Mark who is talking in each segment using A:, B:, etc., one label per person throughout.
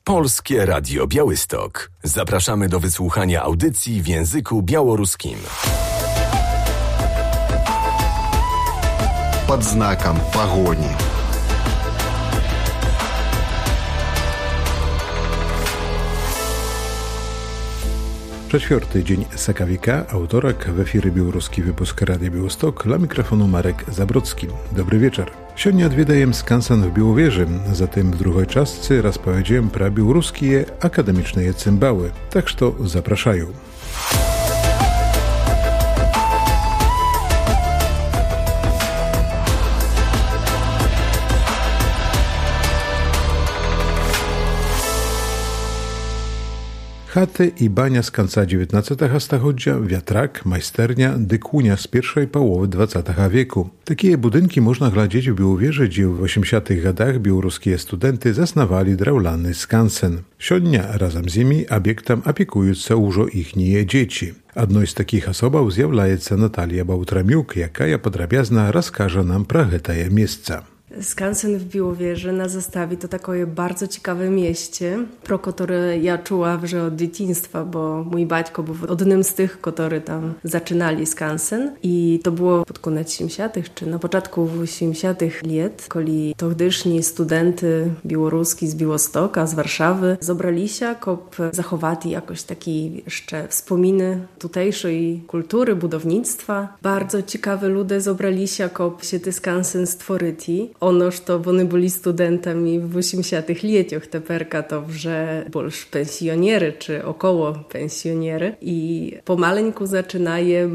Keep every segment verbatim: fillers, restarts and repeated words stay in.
A: Polskie Radio Białystok. Zapraszamy do wysłuchania audycji w języku białoruskim.
B: Pod znakiem pogoni.
C: Czwarty dzień Sakawika, autorek w efirze białoruski wypusk Radia Białystok, dla mikrofonu Marek Zabrocki. Dobry wieczór. Сегодня odwiedzajem skansen w Białowieży, zatem w drugiej czasce rozpowiedziałem про białoruskie akademiczne cymbały, tak że zapraszają. Chaty i bania z końca dziewiętnastego stulecia, wiatrak, majsternia, dykunia z pierwszej połowy dwudziestego wieku. Takie budynki można glądać w Białowieży, gdzie w osiemdziesiątych latach białoruskie studenty zasnowali drewlany skansen. Siodnia razem z nimi obiektem opiekują się już ich dzieci. Одной z takich osobów zjawляется Natalia Bałtramiuk, jaka podrabiazna rozkaże nam про te miejsca.
D: Skansen w Białowieży na zastawie to takie bardzo ciekawe mieście, pro które ja czuła że od dzieciństwa, bo mój baćko był jednym z tych, którzy tam zaczynali skansen i to było pod koniec osiemdziesiątych czy na początku osiemdziesiątych lat, kiedy тогдашні studenty białoruski z Białostoka, z Warszawy zebrali się, żeby zachować jakoś taki jeszcze wspominy tutejszej kultury, budownictwa. Bardzo ciekawe ludzie zebrali się, żeby się ten skansen stworzyć. Ono, że oni byli studentami w osiemdziesiątych latach, teperka to że больше pensjoniery, czy około pensjoniery. I pomaleńku zaczynają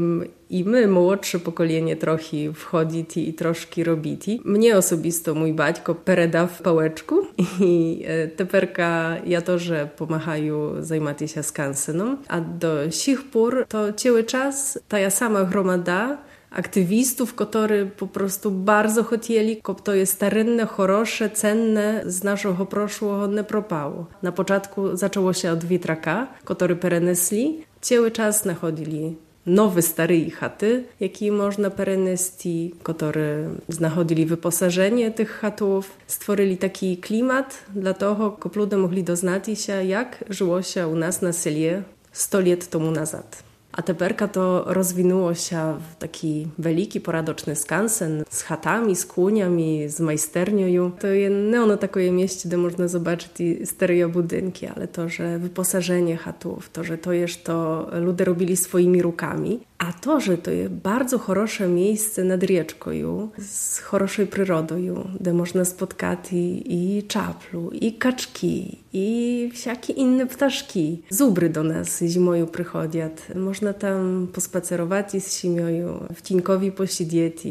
D: i my, młodsze pokolenie, trochę wchodzić i troszkę robić. Mnie osobisto mój baćko pereda w pałeczku i teperka ja to, że pomagają zajmować się skansenom. A do sich pór to cały czas ta ja sama gromada aktywistów, którzy po prostu bardzo chcieli, żeby to jest starynne, chorosze, cenne z naszego przeszłego nie propało. Na początku zaczęło się od wiatraka, który perenesli. Cały czas nachodzili nowe, stare chaty, jakie można perenesti, które znachodzili wyposażenie tych chatów. Stworzyli taki klimat dla tego, żeby ludzie mogli doznać się, jak żyło się u nas na seli sto lat temu nazad. A teperka to rozwinęło się w taki wielki, poradoczny skansen z chatami, z kłuniami, z majsternią. To nie ono takie mieście, gdzie można zobaczyć stare budynki, ale to, że wyposażenie chatów, to, że to jest to ludzie robili swoimi rukami, a to, że to jest bardzo chorosze miejsce nad rzeczką, z choroszej przyrodą, gdzie można spotkać i, i czaplu, i kaczki, i wszelkie inne ptaszki. Zubry do nas zimą przychodzą. Można tam pospacerować z siemią, w Cinkowi posiedzieć,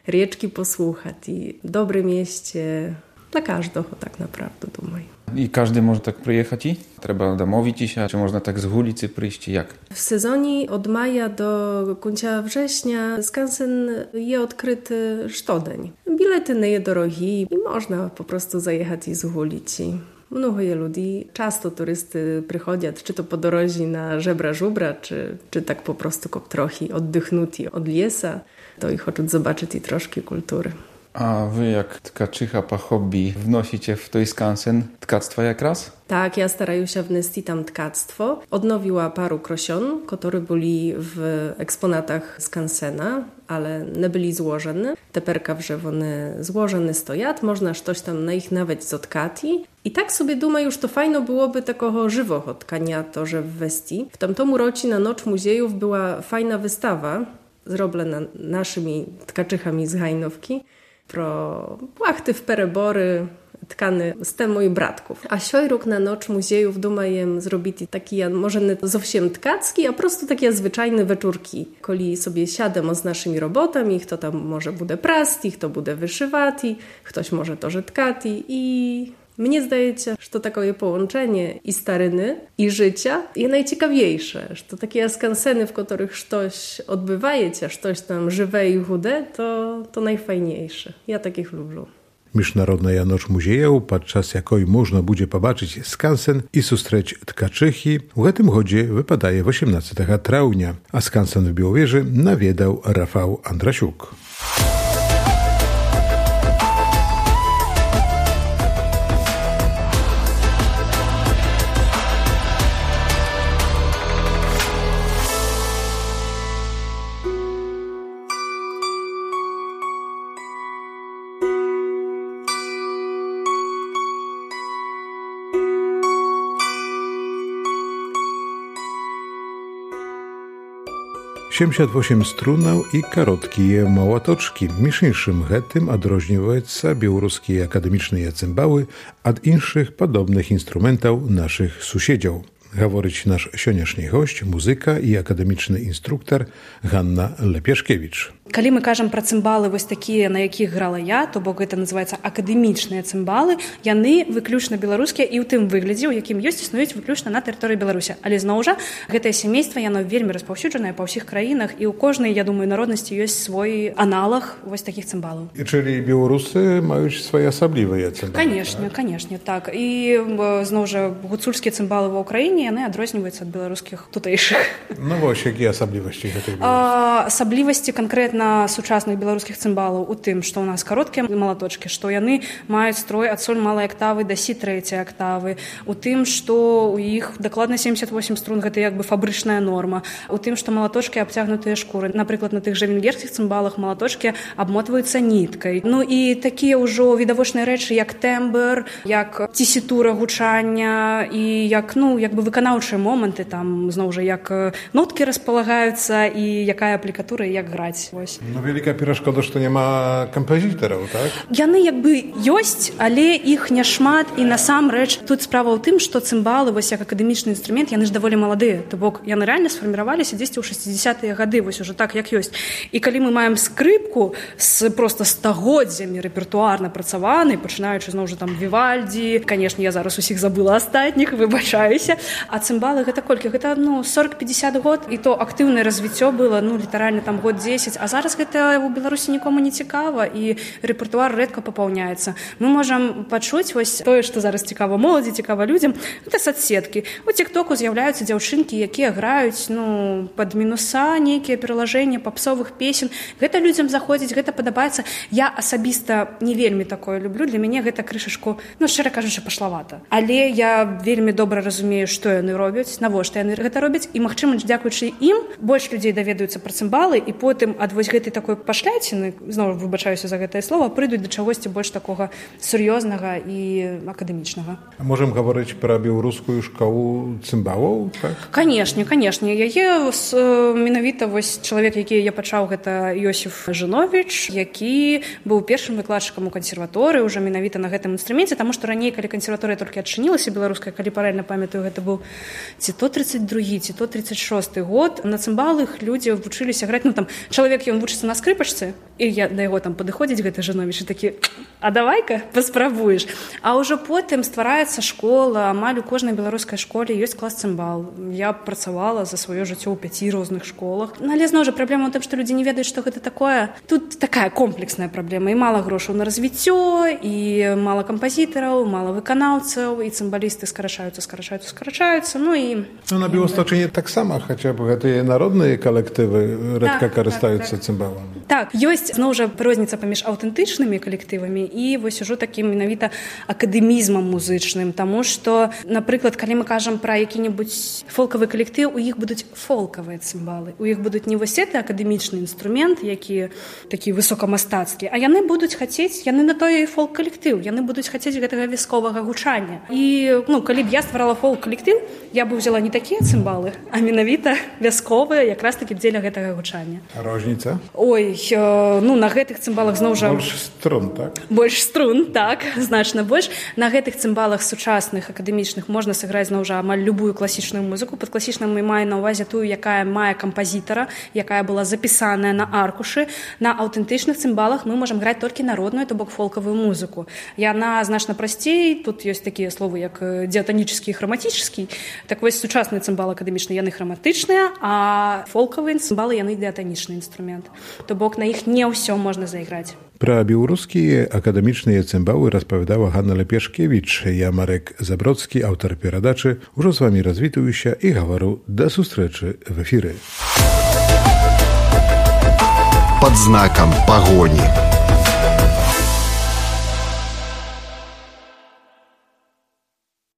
D: rzeczki posłuchać. I dobre mieście dla każdego tak naprawdę, думаю.
E: I każdy może tak przyjechać i? Trzeba domówić się, czy można tak z ulicy przyjść, jak?
D: W sezonie od maja do końca września skansen jest odkryty штодень. Bilety nie są drogie i można po prostu zajechać z ulicy. Mnogo je ludzi, często turysty przychodzą, czy to po drodze na żebra żubra, czy, czy tak po prostu kop trochę oddychnuti od lesa, to i chcą zobaczyć i troszkę kultury.
E: A wy jak tkaczycha po hobby wnosicie w tej skansen tkactwa jak raz?
D: Tak, ja staraję się wnieść tam tkactwo. Odnowiła paru krosion, które byli w eksponatach skansena, ale nie byli złożone. Teperka w one złożone stojat, można coś tam na ich nawet zotkati. I tak sobie duma, już to fajno byłoby takiego żywego tkania to, że w Westii. W tamtym roku na Noc Muziejów była fajna wystawa, zrobiona naszymi tkaczychami z Hajnówki, pro płachty w perebory, tkany z tym moich bratków. A siojruk na Noc Muziejów dumajem zrobić taki, może nie zowsiem tkacki, a prostu takie zwyczajne wieczórki. Koli sobie siademo z naszymi robotami, kto tam może bude prasti, kto bude wyszywati, ktoś może to że tkati i mnie zdaje się, że to takie połączenie i staryny, i życia jest najciekawiejsze. Że to takie skanseny, w których coś odbywaje się, coś tam żywe i chude, to, to najfajniejsze. Ja takich lubię.
C: Międzynarodna Noc Muziejów, podczas jakiej można będzie pobaczyć skansen i sustrzeć tkaczychi, w tym chodzie wypadaje osiemnastego trawnia, a skansen w Białowieży nawiedzał Rafał Andrasiuk. семьдесят восемь струнаў і кароткія малаточкі. Між іншым, гэтым адрозніваюцца беларускія акадэмічныя цымбалы ад іншых падобных інструментаў нашых суседзяў. Гаворыць наш сённяшні госць, музыка і акадэмічны інструктар Ганна Лепешкевіч.
F: Калі мы кажам пра цымбалы вось такія, на якіх грала я, то бок гэта называецца акадэмічныя цымбалы, яны выключна беларускія і ў тым выглядзе, у якім ёсць, існуюць выключна на тэрыторыі Беларусі. Але зноў жа, гэтае сямейства, яно вельмі распаўсюджанае па ўсіх краінах, і ў кожнай, я думаю, народнасці ёсць свой аналаг вось такіх цымбалаў.
C: І чылі беларусы маюць свае асаблівыя цымбалы?
F: Канешне, канешне, так. І зноў жа, гуцульскія цымбалы ва ўкраіне, яны адрозніваюцца ад беларускіх тутэйшых.
C: Ну вось, якія асаблівасці гэтых
F: беларускіх? Асаблівасці канкрэтна на сучасных беларускіх цымбалаў у тым, што ў нас кароткія малаточкі, што яны маюць строй ад соль малай актавы да сі трэцяй актавы, у тым, што ў іх дакладна семьдесят восемь струн, гэта як бы фабрычная норма, у тым, што малаточкі абцягнутыя шкуры. Напрыклад, на тых жа венгерскіх цымбалах малаточкі абмотваюцца ніткай. Ну і такія ўжо відавочныя рэчы, як тэмбр, як цісітура гучання і як, ну, як бы выканаўчыя моманты, там, зноў жа, як ноткі распалагаюцца і якая аплікатура і як граць.
C: Ну, вялікая перашкода, што няма кампазітараў, так?
F: Яны як бы ёсць, але іх няшмат, і насамрэч тут справа ў тым, што цымбалы, вось як акадэмічны інструмент, яны ж даволі маладыя, то бок яны рэальна сфарміраваліся дзесьці ў шэсцідзесятыя гады, вось ужо так, як ёсць. І калі мы маем скрыпку з проста стагоддзямі рэпертуарна працаванай, пачынаючы зноў жа там Вівальді, канешне, я зараз усіх забыла астатніх, выбачаюся, а цымбалы гэта колькі? Гэта, ну, сорок-пятьдесят год, і то актыўнае развіццё было, ну, літаральна там год дзесяць, а зараз гэта ў Беларусі нікому не цікава, і рэпертуар рэдка папаўняецца. Мы можам пачуць вось тое, што зараз цікава моладзі, цікава людзям, гэта соцсеткі. У тик-току з'яўляюцца дзяўчынкі, якія граюць, ну, пад мінуса, нейкія пералажэння папсовых песен. Гэта людзям заходзіць, гэта падабаецца. Я асабіста не вельмі такое люблю, для мяне гэта крышачку, ну, шчыра кажучы, пашлавата. Але я вельмі добра разумею, што яны робяць, навошта яны гэта робяць, і, магчыма, дзякуючы ім больш людзей даведаюцца пра цымбалы, і потым ад вось гэтай такой пашляціны, зноў выбачаюся за гэтае слова, прыйдуць да чагосьці больш такога сур'ёзнага і акадэмічнага.
C: Можам гаварыць пра беларускую школу цымбалаў, так?
F: Канешне, канешне. Яе менавіта вось чалавек, які я пачаў, гэта Йосіф Жыновіч, які быў першым выкладчыкам у кансерваторыі ўжо менавіта на гэтым інструменце, таму што раней, калі кансерваторыя толькі адчынілася беларуская, калі паралельна памятаю, гэта быў ці то тридцать другі, ці то тридцать шосты год, на цымбалах людзі вучыліся граць, ну там чалавек ён вучыцца на скрыпачцы, і я да яго там падыходзіць гэты Жыновіч і такі, а давай-ка паспрабуеш. А ўжо потым ствараецца школа, амаль у кожнай беларускай школе ёсць клас цымбал. Я працавала за сваё жыццё ў пяці розных школах. Ну, але зноў жа праблема ў тым, што людзі не ведаюць, што гэта такое. Тут такая комплексная праблема, і мала грошаў на развіццё, і мала кампазітараў, мала выканаўцаў, і цымбалісты скарачаюцца, скарачаюцца, скарачаюцца. Ну і
C: ну, на Беласточыне таксама хаця б гэтыя народныя калектывы рэдка
F: так,
C: карыстаюцца
F: так, так.
C: цымбаламі.
F: Так, ёсць зноў жа розніца паміж аўтэнтычнымі калектывамі і вось ужо такім менавіта акадэмізмам музычным, таму што, напрыклад, калі мы кажам пра які-небудзь фолкавы калектыў, у іх будуць фолкавыя цымбалы, у іх будуць не вось гэты акадэмічны інструмент, які такі высокамастацкі, а яны будуць хацець, яны на той фолк-калектыў, яны будуць хацець гэтага вясковага гучання. І, ну, калі б я стварала фолк-калектыў, я б узяла не такія цымбалы, а менавіта вясковыя, якраз такі дзеля гэтага гучання.
C: А розніца?
F: Ой, ну, на гэтых цымбалах зноў жа...
C: Больш струн, так?
F: Больш струн, так, значна больш. На гэтых цымбалах сучасных, акадэмічных можна сыграць зноў жа амаль любую класічную музыку. Пад класічным мы маем на ўвазе тую, якая мае кампазітара, якая была запісаная на аркушы. На аўтэнтычных цымбалах мы можам граць толькі народную, то бок фолкавую музыку. Яна значна прасцей, тут ёсць такія словы, як дыатанічны і храматычны. Так вось сучасныя цымбалы акадэмічныя, яны храматычныя, а фолкавыя цымбалы, яны дыатанічны інструмент. То бок на іх не ўсё можна зайграць.
C: Пра беларускія акадэмічныя цымбалы распавядала Ганна Лепешкевіч. Я Марек Забродскі, аўтар перадачы. Ужо з вамі развітваюся і гавару да сустрэчы в эфіры.
B: Пад знакам пагоні.